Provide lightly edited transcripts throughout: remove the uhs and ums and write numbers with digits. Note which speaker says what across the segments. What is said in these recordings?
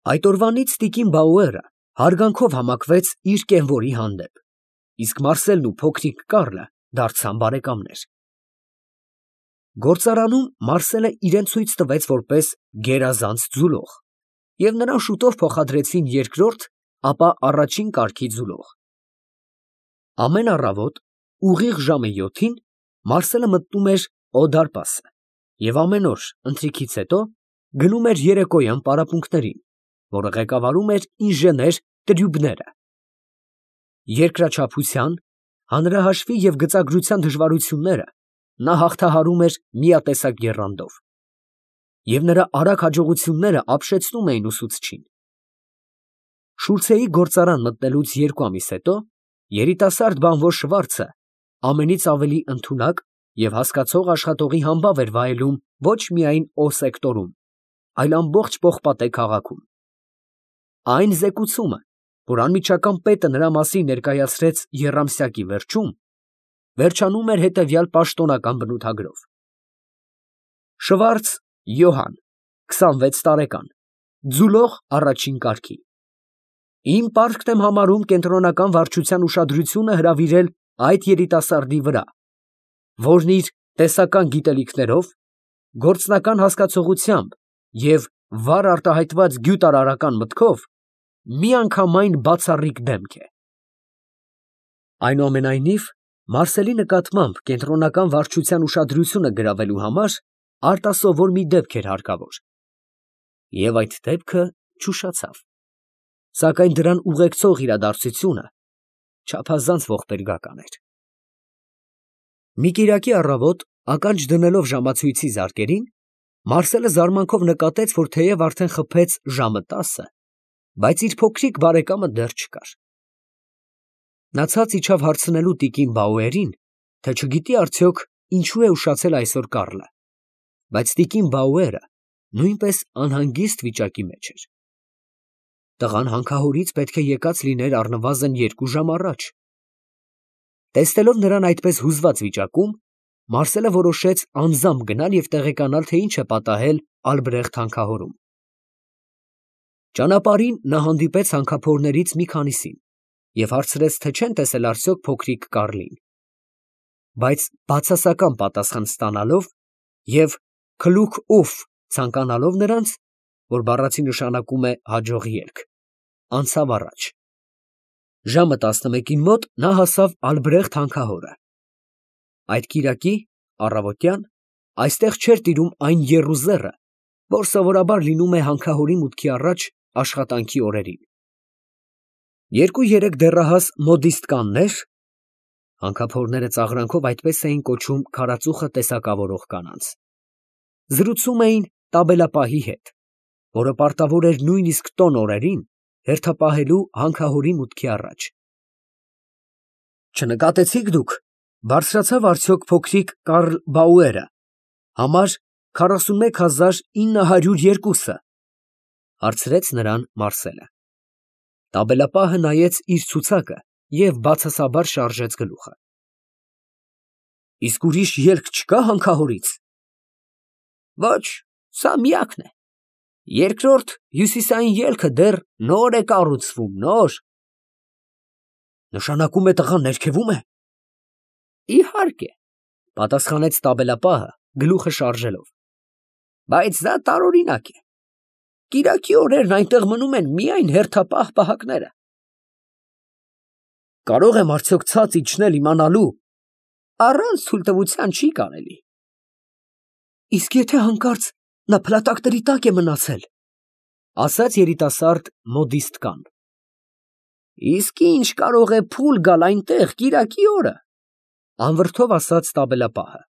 Speaker 1: Այդ օրվանից տիկին Բաուերը հարգանքով համակվեց իր կենվորի հանդեպ, իսկ Մարսելն ու փոքրիկ Կարլը դարձան բարեկամներ։ Գործարանում Մարսելը իրան ցույց տվեց որպես գերազանց ձուլող, և նրան շուտով փոխադրեցին երկրորդ, ապա առաջին կարգի ձուլող։ Ամեն առավոտ ուղիղ ժամը 7-ին Մարսելը մտնում էր օդարպասը և ամեն օր ընթրիքից հետո գնում էր երեկոյան պարապմունքներին, որը ղեկավարում էր ինժեներ Տրյուբները։ Երկրաչափության, հանրահաշվի և գծագրության դժվարությունները նա հաղթահարում էր միատեսակ եռանդով, և նրա արագ հաջողությունները ապշեցնում էին ուսուցչին։ Շուլցեի գործարան մտնելուց 2 ամիս հետո երիտասարդ բանվոր Շվարցը ամենից ավելի ընդունակ և հասկացող աշխատողի համբավ էր վայելում ոչ միայն Օ սեկտորում, այլ ամբողջ Պողպատե քաղաքում։ Այն զեկուցումը, որ անմիջական պետը նրա մասին ներկայացրեց եռամսյակի վերջում, վերջանում էր հետևյալ պաշտոնական բնութագրով. Շվարց Յոհան, 26 տարեկան, ձուլող առաջին կարգի։ Իմ պարտքն եմ համարում կենտրոնական վարչության ուշադրությունը հրավիրել այդ երիտասարդի վրա, որն իր տեսական գիտելիքներով, գործնական հասկացողությամբ և վառ արտահայտված գյուտարարական մտքով միանգամայն բացառիկ դեմք է։ Այնուամենայնիվ, Մարսելի նկատմամբ կենտրոնական վարչության ուշադրությունը գրավելու համար արտասովոր մի դեպք էր հարկավոր, և այդ դեպքը չուշացավ, սակայն դրան ուղեկցող իրադարձությունը չափազանց ողբերգական էր։ Մի կիրակի առավոտ, ականջ դնելով ժամացույցի զարկերին, Մարսելը զարմանքով նկատեց, որ թեև արդեն խփեց ժամը 10, բայց իր փոքրիկ բարեկամը դեռ չկար։ Նա ցած իջավ հարցնելու տիկին Բաուերին, թե չգիտի արդյոք ինչու է ուշացել այսօր Կարլը, բայց տիկին Բաուերը նույնպես անհանգիստ վիճակի մեջ էր։ Տղան հանքահորից պետք է եկած լիներ առնվազն 2 ժամ առաջ։ Տեսնելով նրան այդպես հուզված վիճակում, Մարսելը որոշեց անձամբ գնալ և տեղեկանալ, թե ինչ է պատահել Ալբրեղտ հանքահորում։ Ճանապարհին նա հանդիպեց հանքափորներից մի քանիսին և հարցրեց, թե չեն տեսել արդյոք փոքրիկ Կարլին, բայց բացասական պատասխան ստանալով և քլուք օֆ ցանկանալով նրանց, որ բառացի նշանակում է հաջող ելք, անցավ առաջ։ Ժամը 11-ին մոտ նա հասավ Ալբրեղտ հանքահորը։ Այդ կիրակի առավոտյան այստեղ չէր տիրում այն եռուզեռը, որ սովորաբար լինում է հանքահորի մուտքի առաջ աշխատանքի օրերին։ 2-3 դեռահաս մոդիստկաններ (հանքափորները ծաղրանքով այդպես էին կոչում քարածուխը տեսակավորող կանանց) զրուցում էին տաբելապահի հետ, որը պարտավոր էր նույնիսկ տոն օրերին հերթապահելու հանքահորի մուտքի առաջ։ Չնկատեցի՞ք դուք, բարձրացավ արդյոք փոքրիկ Կարլ Բաուերը, համար 41902-ը, հարցրեց նրան Մարսելը։ Տաբելապահը նայեց իր ցուցակը և բացասաբար շարժեց գլուխը։ Իսկ ուրիշ ելք չկա հանքահորից։ Ոչ, սա միակն է։ Երկրորդ հյուսիսային ելքը դեռ նոր է կառուցվում, նոր։ Նշանակում է տղան ներքևում է։ Իհարկե, պատասխանեց տաբելապահը գլուխը շարժելով, բայց դա տարօրինակ է։ Կիրակի օրերն այնտեղ մնում են միայն հերթապահ պահակները։ Կարող եմ արդյոք ցած իջնել իմանալու։ Առանց թույլտվության չի կարելի։ Իսկ եթե հանկարծ նա փլատակների տակ է մնացել, ասաց երիտասարդ մոդիստկան։ Իսկ ինչ կարող է փուլ գալ այնտեղ կիրակի օրը, անվրդով ասաց տաբելապահը։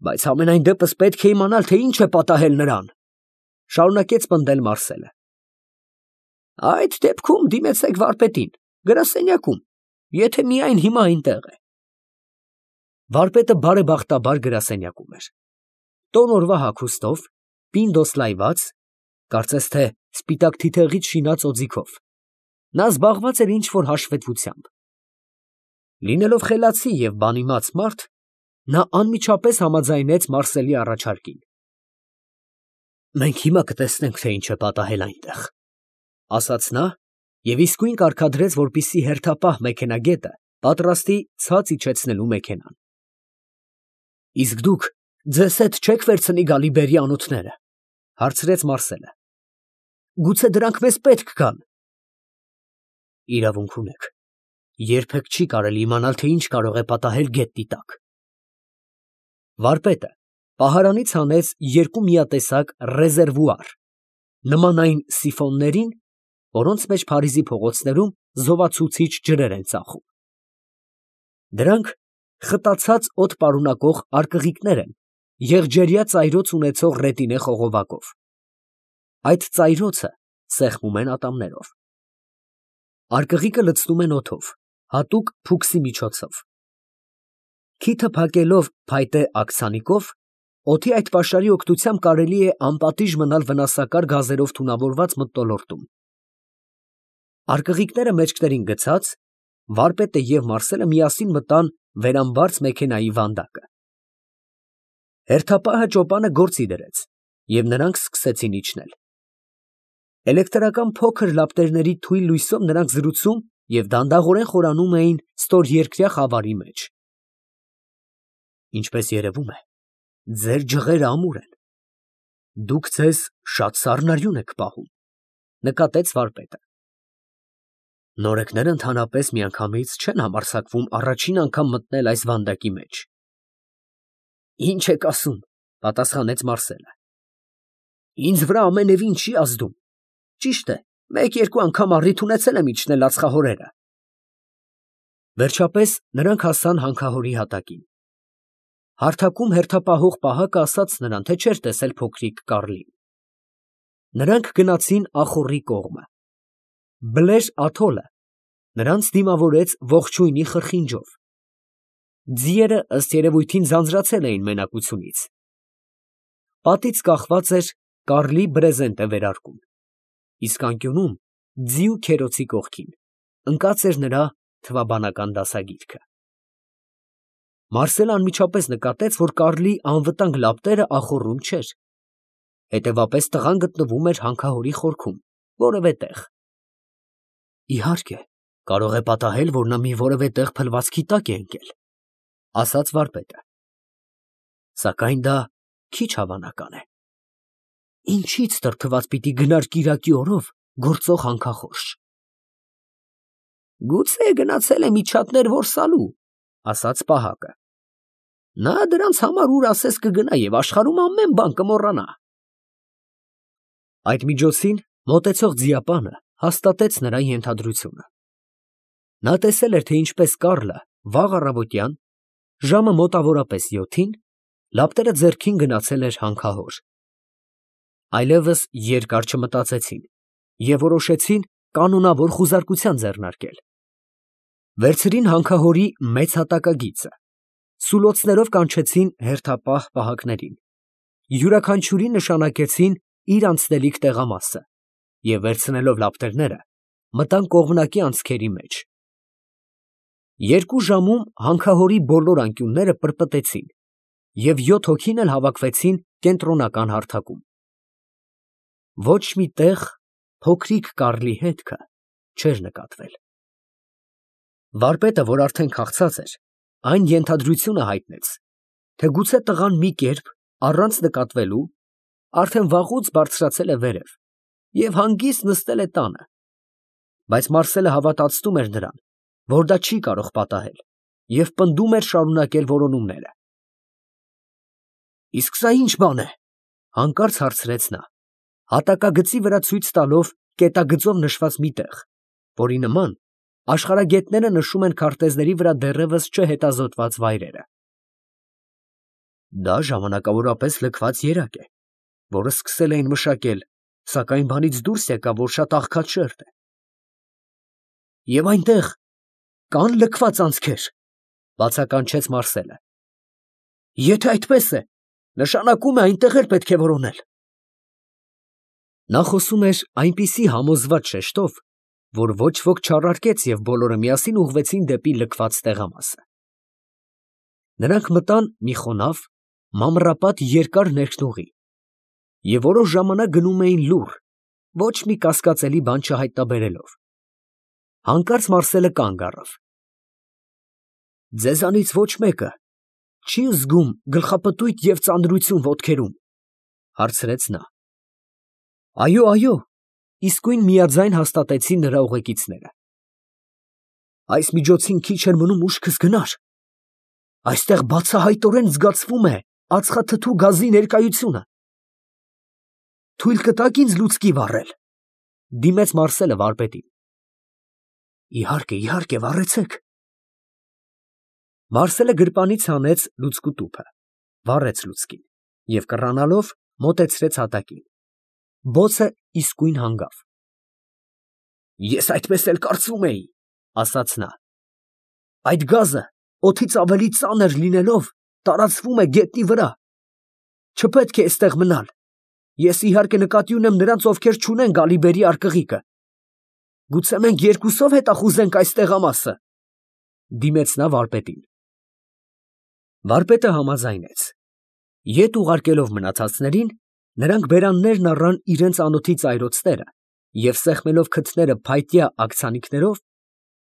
Speaker 1: Բայց համենայն դեպս պետք է իմանալ, թե ինչ է պատահել նրան, շարունակեց պնդել Մարսելը։ Այդ դեպքում դիմեցեք վարպետին, գրասենյակում, եթե միայն հիմա այնտեղ է։ Վարպետը բարեբախտաբար գրասենյակում էր։ Տոն օրվա հագուստով, պինդոս լայված, կարծես թե սպիտակ թիթեղից շինած օձիքով, նա զբաղված էր ինչ-որ հաշվետվությամբ։ Լինելով խելացի և բանիմաց մարդ, նա անմիջապես համաձայնեց Մարսելի առաջարկին։ Մենք հիմա կտեսնենք, թե ինչ է պատահել այնտեղ, ասաց նա և իսկույն կարգադրեց, որպեսզի հերթապահ մեքենագետը պատրաստի ցած իջեցնելու մեքենան։ Իսկ դուք ձեզ հետ չե՞ք վերցնի Գալիբերի անոթները, հարցրեց Մարսելը։ Գուցե դրանք մեզ պետք գան։ Իրավունք ունեք, երբեք չի կարելի իմանալ, թե ինչ կարող է պատահել գետնի տակ։ Վարպետը պահարանից հանեց երկու միատեսակ ռեզերվուար, նման այն սիֆոններին, որոնց մեջ Փարիզի փողոցներում զովացուցիչ ջրեր են ծախում։ Դրանք խտացած օդ պարունակող արկղիկներ են, եղջերյա ծայրոց ունեցող ռետինե խողովակով։ Այդ ծայրոցը սեղմում են ատամներով։ Արկղիկը լցնում են օդով, հատուկ փուքսի միջոցով։ Քիթը փակելով փայտե աքսանիկով, օդի այդ պաշարի օգնությամբ կարելի է անպատիժ մնալ վնասակար գազերով թունավորված մթնոլորտում։ Արկղիկները մեջքներին գցած, վարպետը և Մարսելը միասին մտան վերամբարձ մեքենայի վանդակը։ Հերթապահը ճոպանը գործի դրեց, և նրանք սկսեցին իջնել։ Էլեկտրական փոքր լապտերների թույլ լույսով նրանք զրուցում և դանդաղորեն խորանում էին ստորերկրյա խավարի մեջ։ Ինչպես երևում է, ձեր ջղերը ամուր են։ Դուք ձեզ շատ սառնարյուն եք պահում, նկատեց վարպետը։ Նորեկները ընդհանրապես միանգամից չեն համարձակվում առաջին անգամ մտնել այս վանդակի մեջ։ Ինչ եք ասում, պատասխանեց Մարսելը։ Ինձ վրա ամենևին չի ազդում։ Ճիշտ է, մեկ-երկու անգամ առիթ ունեցել եմ իջնել ածխահորերը։ Վերջապես նրանք հասան հանքահորի հատակին։ Հարթակում հերթապահող պահակը ասաց նրան, թե չէր տեսել փոքրիկ Կարլին։ Նրանք գնացին ախոռի կողմը։ Բլեր աթոլը նրանց դիմավորեց ողջույնի խրխինջով։ Ձիերը ըստ երևույթին ձանձրացել էին մենակությունից։ Պատից կախված էր Կարլի բրեզենտը վերարկուն, իսկ անկյունում, ձիու քերոցի կողքին, ընկած էր նրա թվաբանական դասագիրքը։ Մարսելը անմիջապես նկատեց, որ Կարլի անվտանգ լապտերը ախոռում չէր, հետևապես տղան գտնվում էր հանքահորի խորքում, որևէ տեղ։ Իհարկե, կարող է պատահել, որ նա մի որևէ տեղ փլվածքի տակ է ընկել, ասաց վարպետը։ Սակայն դա քիչ հավանական է։ Ինչից տրտված պիտի գնար կիրակի օրով գործող հանքախորշ։ Գուցե գնացել է միջատներ որսալու, ասաց պահակը։ Նա դրանց համար ուր ասես կգնա և աշխարհում ամեն բան կմոռանա։ Այդ միջոցին մոտեցող ձիապանը հաստատեց նրա ենթադրությունը։ Նա տեսել էր, թե ինչպես Կարլը վաղ առավոտյան, ժամը մոտավորապես 7-ին, լապտերը ձեռքին գնացել էր հանքահոր։ Այլևս երկար չմտածեցին և որոշեցին կանոնավոր խուզարկության ձեռնարկել։ Վերցրին հանքահորի մեծ հատակագիծը, սուլոցներով կանչեցին հերթապահ պահակներին, յուրաքանչյուրին նշանակեցին իր անցնելիք տեղամասը և վերցնելով լապտերները, մտան կողմնակի անցքերի մեջ։ 2 ժամում հանքահորի բոլոր անկյունները պրպտեցին և 7 հոգին էլ հավաքվեցին կենտրոնական հարթակում։ Ոչ մի տեղ փոքրիկ Կարլի հետքը չէր նկատվել։ Վարպետը, որ արդեն քաղցած էր, այն ենթադրությունը հայտնեց, թե գուցե տղան մի կերպ, առանց նկատվելու, արդեն վաղուց բարձրացել է վերև և հանգիստ նստել է տանը, բայց Մարսելը հավատացնում էր նրան, որ դա չի կարող պատահել, և պնդում էր շարունակել որոնումները։ Իսկ սա ի՞նչ բան է, հանկարծ հարցրեց նա, հատակագծի վրա ցույց տալով կետագծով նշված մի տեղ, որի նման աշխարհագետները նշում են քարտեզների վրա դեռևս չհետազոտված վայրերը։ Դա ժամանակավորապես լքված երակ է, որը սկսել էին մշակել, սակայն բանից դուրս եկավ, որ շատ աղքատ շերտ է։ Եվ այնտեղ կան լքված անցքեր, բացականչեց Մարսելը։ Եթե այդպես է, նշանակում է այնտեղ էլ պետք է որոնել։ Նա խոսում էր այնպիսի համոզված շեշտով, որ ոչ ոք չառարկեց և բոլորը միասին ուղղվեցին դեպի լքված տեղամասը։ Նրանք մտան մի խոնավ, մանրապատ երկար ներքնուղի Եվ որոշ ժամանակ գնում էին լուռ, ոչ մի կասկածելի բան չհայտնաբերելով։ Հանկարծ Մարսելը կանգ առավ։ Ձեզանից ոչ մեկը չի զգում գլխապտույտ և ծանրություն ոտքերում, հարցրեց նա։ Այո, իսկույն միաձայն հաստատեցին նրա ուղեկիցները։ Այս միջոցին քիչ էր մնում ուշքս գնար։ Այստեղ բացահայտորեն զգացվում է ածխաթթու գազի ներկայությունը։ Թույլ կտա՞ք ինձ լուցկի վառել, դիմեց Մարսելը վարպետին։ Իհարկե, վառեցեք։ Մարսելը գրպանից հանեց լուցկու տուփը, վառեց լուցկին և կռանալով մոտեցրեց հատակին։ Բոցը իսկույն հանգավ։ Ես այդպես էլ կարծում էի, ասաց նա։ Այդ գազը օդից ավելի ծանր լինելով տարածվում է գետնի վրա։ Չպետք է էստեղ մնալ։ Ես իհարկե նկատի ունեմ նրանց, ովքեր չունեն գալիբերի արկղիկը։ Գուցե մենք երկուսով հետախուզենք այս տեղամասը, դիմեց նա վարպետին։ Վարպետը համաձայնեց։ Ետ ուղարկելով մնացածներին, նրանք բերաններն առան իրենց անոթի ծայրոցները և սեղմելով քթները փայտյա աքցանիքներով,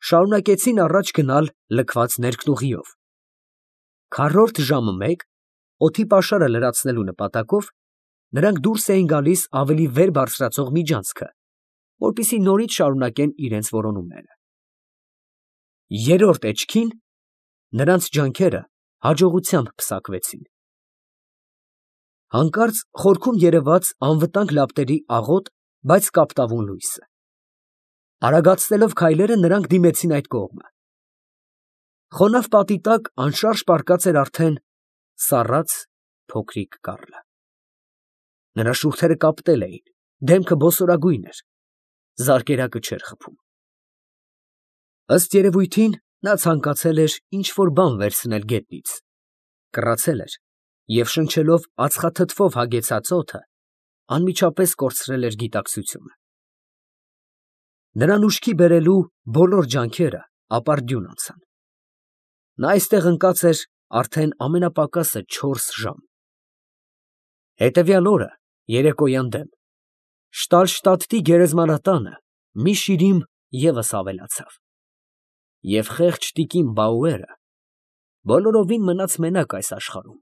Speaker 1: շարունակեցին առաջ գնալ լքված ներքնուղիով։ Քառորդ ժամը մեկ, օդի պաշարը լրացնելու նպատակով, նրանք դուրս էին գալիս ավելի վեր բարձրացող միջանցքը, որպեսզի նորից շարունակեն իրենց որոնումները։ Երրորդ էջքին նրանց ջանքերը հաջողությամբ պսակվեցին։ Հանկարծ խորքում երևաց անվտանգ լապտերի աղոտ, բայց կապտավուն լույսը։ Արագացնելով քայլերը նրանք դիմեցին այդ կողմը։ Խոնավ պատի տակ անշարժ պառկած էր արդեն սառած փոքրիկ կառլը։ Նրա շուրթերը կապտել էին, դեմքը բոսորագույն էր, զարկերակը չէր խփում։ Ըստ երևույթին, նա ցանկացել էր ինչ֊որ բան վերցնել գետնից, կռացել էր և շնչելով ածխաթթվով հագեցած օդը, անմիջապես կորցրել էր գիտակցությունը։ Նրան ուշքի բերելու բոլոր ջանքերը ապարդյուն անցան։ Նա այստեղ ընկած էր արդեն ամենապակասը 4 ժամ։ Հետևյալ օրը, երեկոյան դեմ, Շտալշտադտի գերեզմանատանը մի շիրիմ ևս ավելացավ, և խեղճ տիկին Բաուերը բոլորովին մնաց մենակ այս աշխարհում։